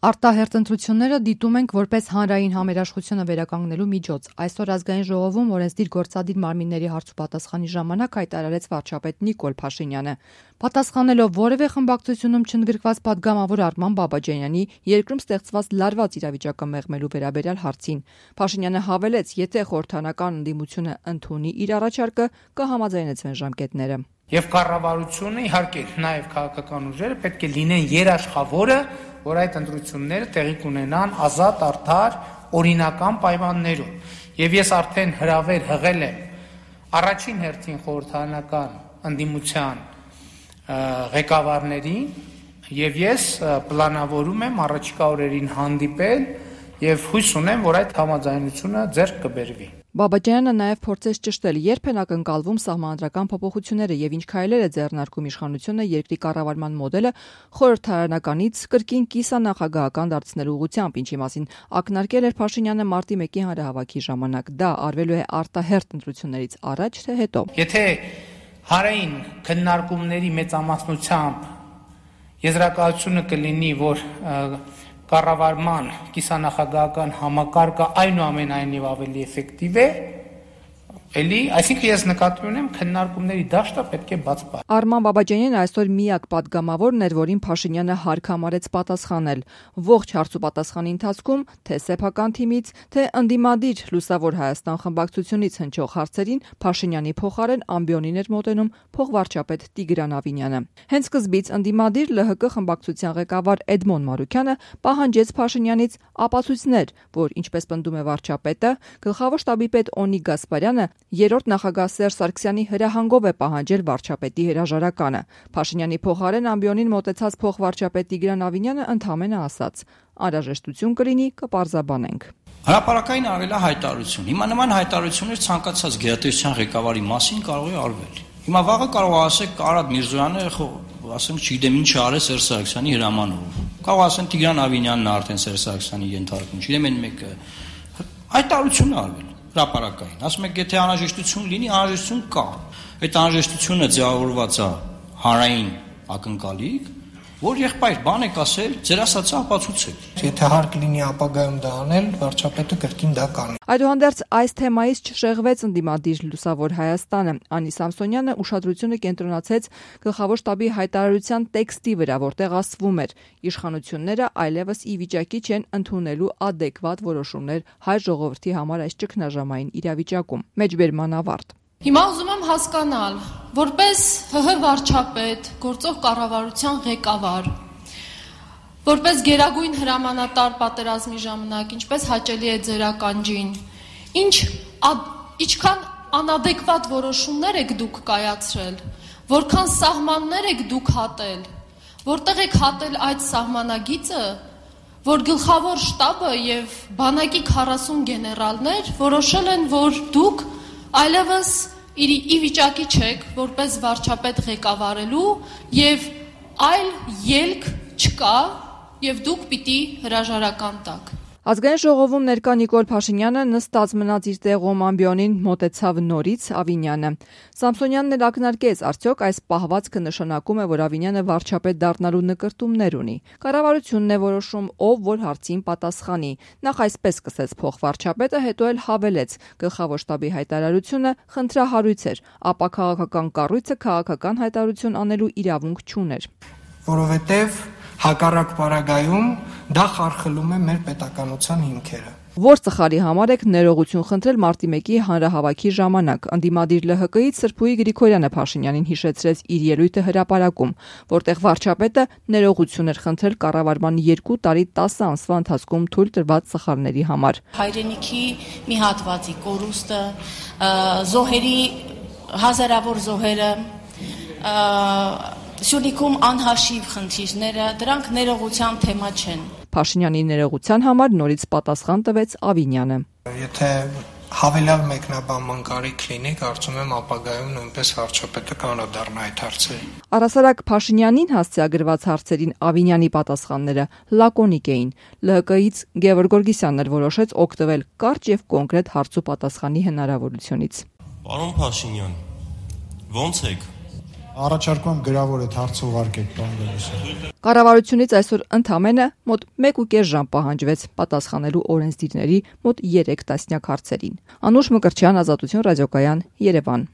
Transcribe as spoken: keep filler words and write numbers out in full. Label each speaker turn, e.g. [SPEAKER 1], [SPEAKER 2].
[SPEAKER 1] Արտահերթ ընտրությունները դիտում ենք որպես հանրային համերաշխությունը վերականգնելու միջոց։ Այսօր ազգային ժողովում օրենսդիր գործադիր մարմինների հարցուպատասխանի ժամանակ հայտարարեց վարչապետ Նիկոլ Փաշինյանը։ Պատասխանելով որևէ խմբակցությունում չընդգրկված պատգամավոր Արման Բաբաջանյանի երկրում ստեղծված լարված իրավիճակը մեղմելու վերաբերյալ հարցին, Փաշինյանը հավելեց, եթե խորհրդարանական ընդդիմությունը ընդունի իր առաջարկը, կհամաձայնեցվեն ժամկետները։
[SPEAKER 2] Եվ կառավարությունը, իհարկե, նաև քաղաքական ուժերը պետք է լինեն երաշխավորը, որ այդ ընտրությունները տեղի կունենան ազատ, արդար, օրինական պայմաններում։ Եվ ես արդեն հրավեր հղել եմ առաջին հերթին խորհրդարանական ընդդիմության ղեկավարներին, եւ ես պլանավորում եմ առաջիկա օրերին հանդիպել եւ հույս ունեմ, որ այդ համաձայնությունը ձեռք կբերվի։
[SPEAKER 1] Բաբաջյանը նաև փորձեց ճշտել, երբ են ակնկալվում սահմանադրական փոփոխությունները եւ ինչ քայլեր է ձեռնարկում իշխանությունը երկրի կառավարման մոդելը խորհրդարանականից կրկին կիսանախագահական դարձնելու ուղղությամբ, ինչի մասին ակնարկել էր Փաշինյանը մարտի մեկի հանրահավաքի ժամանակ։ Դա արվելու է արտահերթ ընտրություններից առաջ թե հետո։
[SPEAKER 2] Եթե հարային քննարկումների մեծամասնությամբ եզրակացությունը կլինի, որ կառավարման կիսանախագահական համակարգը այնուամենայնիվ ավելի էֆեկտիվ է, էլի, այսինքն ես նկատի ունեմ քննարկումների դաշտը պետք է բաց պահել։
[SPEAKER 1] Արման Բաբաջանյանը այսօր միակ պատգամավորն էր, որին Փաշինյանը հարկ համարեց պատասխանել։ Ողջ հարցուպատասխանի ընթացքում թե սեփական թիմից, թե ընդդիմադիր Լուսավոր Հայաստան խմբակցությունից հնչող հարցերին Փաշինյանի փոխարեն ամբիոնին էր մոտենում փոխվարչապետ Տիգրան Ավինյանը։ Հենց սկզբից ընդդիմադիր Լ Հ Կ խմբակցության ղեկավար Էդմոն Մարուքյանը պահանջեց Փաշինյանից ապացույցներ, որ, ինչպես պնդում է վարչապետը, գլխավոր շտաբի պետ Օնիկ Գասպարյանը երրորդ նախագահ Սերժ Սարգսյանի հրահանգով է պահանջել վարչապետի հրաժարականը։ Փաշինյանի փոխարեն ամբիոնին մոտեցած փոխվարչապետ Տիգրան Ավինյանը ընդհանրապես ասաց. «Անհրաժեշտություն կլինի, կպարզաբանենք»։
[SPEAKER 3] Հրապարակային արվել է հայտարարություն։ Հիմա նման հայտարարություններ ցանկացած գերատեսչության ղեկավարի մասին կարող է արվել։ Հիմա վաղը կարող է ասեք Արադ Միրզոյանը, ասենք, չգիտեմ ինչ արել Սերժ Սարգսյանի հրամանով։ Կարող ասեն Տիգրան Ավինյանն արդեն Սերժ Սարգսյանի ենթարկում, չգիտեմ այն մեկը։ Հայտարարություն է արվել հրապարակային։ Ասում եք, եթե անհրաժեշտություն լինի, անհրաժեշտություն կա։ Այդ անհրաժեշտությունը ձևավորված է հանրային ակնկալիք, որ եղբայր բան եք ասել, ձեր ասածը ապացուցեք։
[SPEAKER 4] Եթե հարկ լինի ապագայում դա անել, վարչապետը կրկին դա կանի։
[SPEAKER 1] Այդուհանդերձ այս թեմայից չշեղվեց ընդդիմադիր Լուսավոր Հայաստանը։ Անի Սամսոնյանը ուշադրությունը կենտրոնացրեց գլխավոր շտաբի հայտարարության տեքստի վրա, որտեղ ասվում էր. իշխանությունները այլևս ի վիճակի չեն ընդունելու ադեկվատ որոշումներ հայ ժողովրդի համար այս ճգնաժամային իրավիճակում։ Մեջբերման ավարտ։
[SPEAKER 5] Հիմա ուզում եմ հասկանալ, որպես Հ Հ վարչապետ, գործող կառավարության ղեկավար, որպես գերագույն հրամանատար պատերազմի ժամանակ, ինչպես հաճելի է ձեր ականջին, ինչ ինչքան անադեկվատ որոշումներ եք դուք կայացրել, որքան սահմաններ եք դուք հատել, որտեղ եք հատել այդ սահմանագիծը, որ գլխավոր շտաբը եւ բանակի քառասուն գեներալներ որոշել են, որ դուք այլևս ի վիճակի չեք որպես վարչապետ ղեկավարելու եւ այլ ելք չկա եւ դուք պիտի հրաժարական տաք։
[SPEAKER 1] Ազգային ժողովում ներկա Նիկոլ Փաշինյանը նստած մնաց իր տեղում ամբիոնին մոտեցավ նորից Ավինյանը։ Սամսոնյանն էլ ակնարկեց, արդյոք այս պահվածքը նշանակում է, որ Ավինյանը վարչապետ դառնալու նկրտումներ ունի։ Կառավարությունն է որոշում, ով որ հարցին պատասխանի։ Նախ այսպես սկսեց փոխվարչապետը, հետո էլ հավելեց. գլխավոր շտաբի հայտարարությունը խնդրահարույց էր, ապա քաղաքական կառույցը քաղաքական հայտարարություն անելու իրավունք չուներ։
[SPEAKER 4] Որովհետև հակառակ պարագայում դա խարխլում է մեր պետականության հիմքերը։
[SPEAKER 1] Որ ծխալի համար եք ներողություն խնդրել մարտի մեկի հանրահավաքի ժամանակ։ Ընդդիմադիր Լ Հ Կ-ից Սրփուհի Գրիգորյանը Փաշինյանին հիշեցրեց իր ելույթը հրապարակում, որտեղ վարչապետը ներողություն էր խնդրել կառավարման երկու տարի տասը ամսվա ընթացքում թույլ տրված ծխալների համար։
[SPEAKER 6] Հայրենիքի մի հատվածի կորուստը, զոհերի հազարավոր զոհերը, Սյունիքում անհաշիվ խնդիրները, դրանք ներողության թեմա չեն։
[SPEAKER 1] Փաշինյանի ներողության համար նորից պատասխան տվեց Ավինյանը։
[SPEAKER 4] Եթե հավելյալ մեկնաբանման կարիք լինի, կարծում եմ ապագայում նույնպես վարչապետը կանադառնա այդ հարցերին։
[SPEAKER 1] Առհասարակ Փաշինյանին հասցեագրված հարցերին Ավինյանի պատասխանները լակոնիկ էին։ Լ Հ Կ-ից Գևորգ Գորգիսյանն էր որոշեց օգտվել կարճ եւ կոնկրետ հարցու պատասխանի հնարավորությունից։
[SPEAKER 7] Պարոն Փաշինյան, ո՞նց եք։ Առաջարկում գրավոր այդ հարցը ուղարկեք պարոն Գալստյան։
[SPEAKER 1] Կառավարությունից այսօր ընդամենը մոտ մեկ ու կես ժամ պահանջվեց պատասխանելու օրենսդիրների մոտ երեք տասնյակ հարցերին։ Անուշ Մկրտչյան, Ազատություն ռադիոկայան, Երևան։